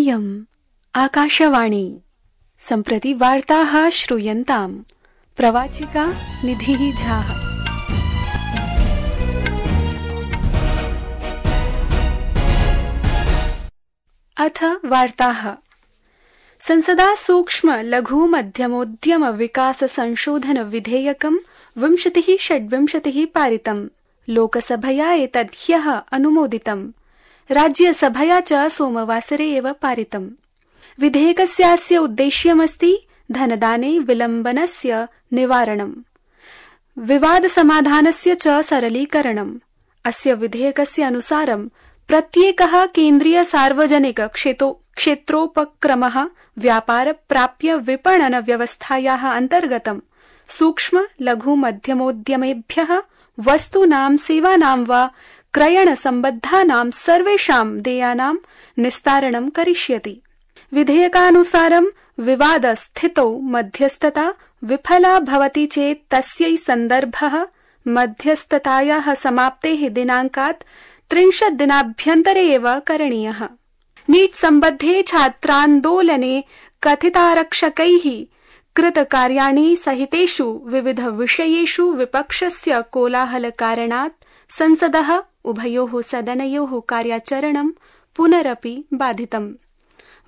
इयम् आकाशवाणी। सम्प्रति वार्ताः श्रूयन्ताम्। प्रवाचिका निधिः झा। अथ वार्ताः। संसदा सूक्ष्म लघु मध्यमोद्यम विकास संशोधन विधेयकम् 2026 पारितम्। लोकसभया एतद् ह्यः अनुमोदितम्। राज्यसभया च सोमवासरे एव पारितम्। विधेयकस्यास्य उद्देश्यमस्ति धनदाने विलम्बनस्य निवारणम्, विवादसमाधानस्य च सरलीकरणम्। अस्य विधेयकस्य अनुसारं प्रत्येकः केन्द्रीय सार्वजनिक क्षेत्रोपक्रमः व्यापार प्राप्य विपणन व्यवस्थायाः अन्तर्गतं सूक्ष्म लघु मध्यमोद्यमेभ्यः वस्तूनां सेवानां वा क्रयण सम्बद्धानां सर्वेषां देयानां निस्तारणं करिष्यति। विधेयकानुसारं विवादस्थितौ मध्यस्थता विफला भवति चेत् तस्यै सन्दर्भः मध्यस्थतायाः समाप्तेः दिनाङ्कात् 30 दिनाभ्यन्तरे एव करणीयः। नीट् सम्बद्धे छात्रान्दोलने कथितारक्षकैः कृतकार्याणि सहितेषु विविध विषयेषु विपक्षस्य कोलाहलकारणात् संसदः उभयोः सदनयोः कार्याचरणं पुनरपि बाधितम्।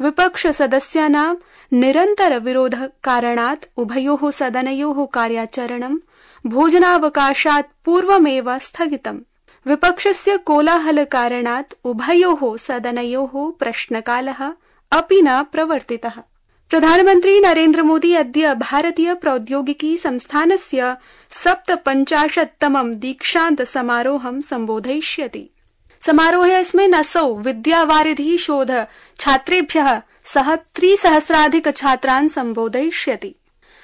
विपक्षसदस्यानां निरन्तर विरोधकारणात् उभयोः सदनयोः कार्याचरणं भोजनावकाशात् पूर्वमेव स्थगितम्। विपक्षस्य कोलाहलकारणात् उभयोः सदनयोः प्रश्नकालः अपि न प्रवर्तितः। प्रधानमन्त्री नरेन्द्र मोदी अद्य भारतीय प्रौद्योगिकी संस्थानस्य 57तमं दीक्षान्त समारोहं सम्बोधयिष्यति। समारोहेऽस्मिन् असौ विद्यावारिधि शोध छात्रेभ्यः सह 3,000 छात्रान् सम्बोधयिष्यति।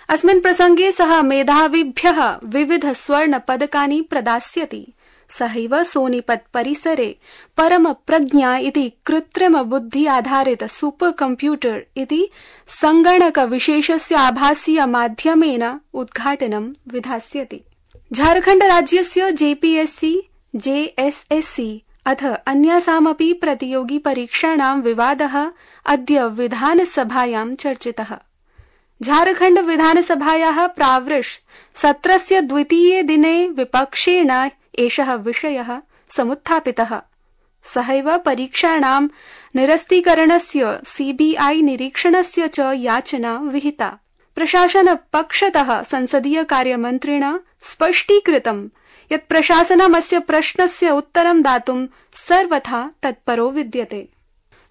अस्मिन् प्रसंगे सः मेधाविभ्यः विविध स्वर्ण पदकानि प्रदास्यति। सहैव सोनीपत परिसरे परम प्रज्ञा इति कृत्रिम बुद्धि आधारित सुपर कंप्यूटर इति संगणक विशेषस्य आभासीय माध्यमेन उद्घाटनं विधास्यति। झारखण्ड राज्यस्य जेपीएससी, जेएसएससी अथ अन्यासामपि प्रतियोगि परीक्षाणां विवादः अद्य विधानसभायां चर्चितः। झारखण्ड विधानसभायाः प्रावृष सत्रस्य द्वितीये दिने विपक्षेण एषः विषयः समुत्थापितः। सहैव परीक्षाणां निरस्तीकरणस्य सीबीआई निरीक्षणस्य च याचना विहिता। प्रशासनपक्षतः संसदीय कार्यमन्त्रिणा स्पष्टीकृतं यत् प्रशासनम् अस्य प्रश्नस्य उत्तरं दातुं सर्वथा तत्परो विद्यते।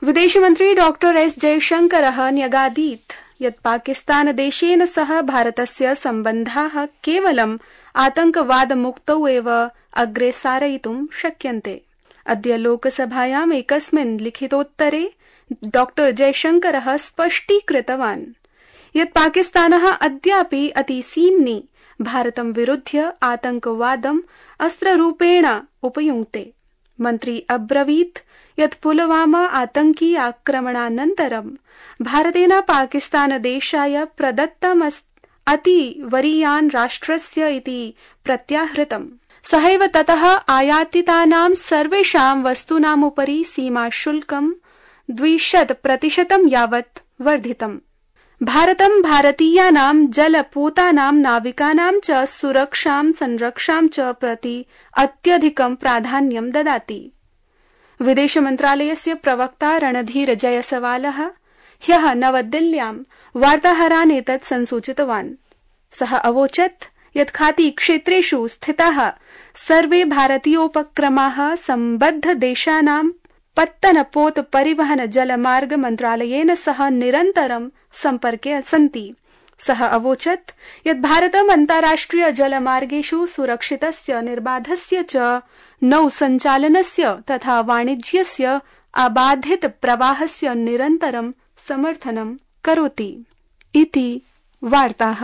विदेशमन्त्री डॉक्टर एस जयशंकरः न्यगादीत् यत् पाकिस्तानदेशेन सह भारतस्य सम्बन्धाः केवलम् आतंकवादमुक्तौ एव अग्रे सारयितुं शक्यन्ते। अद्य लोकसभायाम् एकस्मिन् लिखितोत्तरे डॉक्टर जयशंकरः स्पष्टीकृतवान् यत् पाकिस्तानः अद्यापि अतिसीम्नि भारतं विरुध्य आतंकवादम् अस्त्ररूपेण उपयुङ्क्ते। मन्त्री अब्रवीत् यत् पुलवामा आतंकी आक्रमणानन्तरं भारतेन पाकिस्तानदेशाय प्रदत्तम् अतिवरीयान् राष्ट्रस्य इति प्रत्याहृतम्। सहैव ततः आयातितानां सर्वेषां वस्तूनामुपरि सीमाशुल्कं 200% यावत् वर्धितम्। भारतं भारतीयानां जलपोतानां नाविकानां च सुरक्षां संरक्षां च प्रति अत्यधिकं प्राधान्यं ददाति। विदेशमन्त्रालयस्य प्रवक्ता रणधीर जयसवालः ह्यः नवदिल्ल्यां वार्ताहरान् एतत् संसूचितवान्। सः अवोचत् यत् खाती क्षेत्रेषु स्थिताः सर्वे भारतीयोपक्रमाः सम्बद्ध देशानां पत्तनपोत परिवहन जलमार्ग मन्त्रालयेन सह निरन्तरं सम्पर्के सन्ति। सः अवोचत् यत् भारतम् अन्ताराष्ट्रिय जलमार्गेषु सुरक्षितस्य निर्बाधस्य च नौसञ्चालनस्य तथा वाणिज्यस्य अबाधित प्रवाहस्य निरन्तरं समर्थनं करोति इति वार्ताः।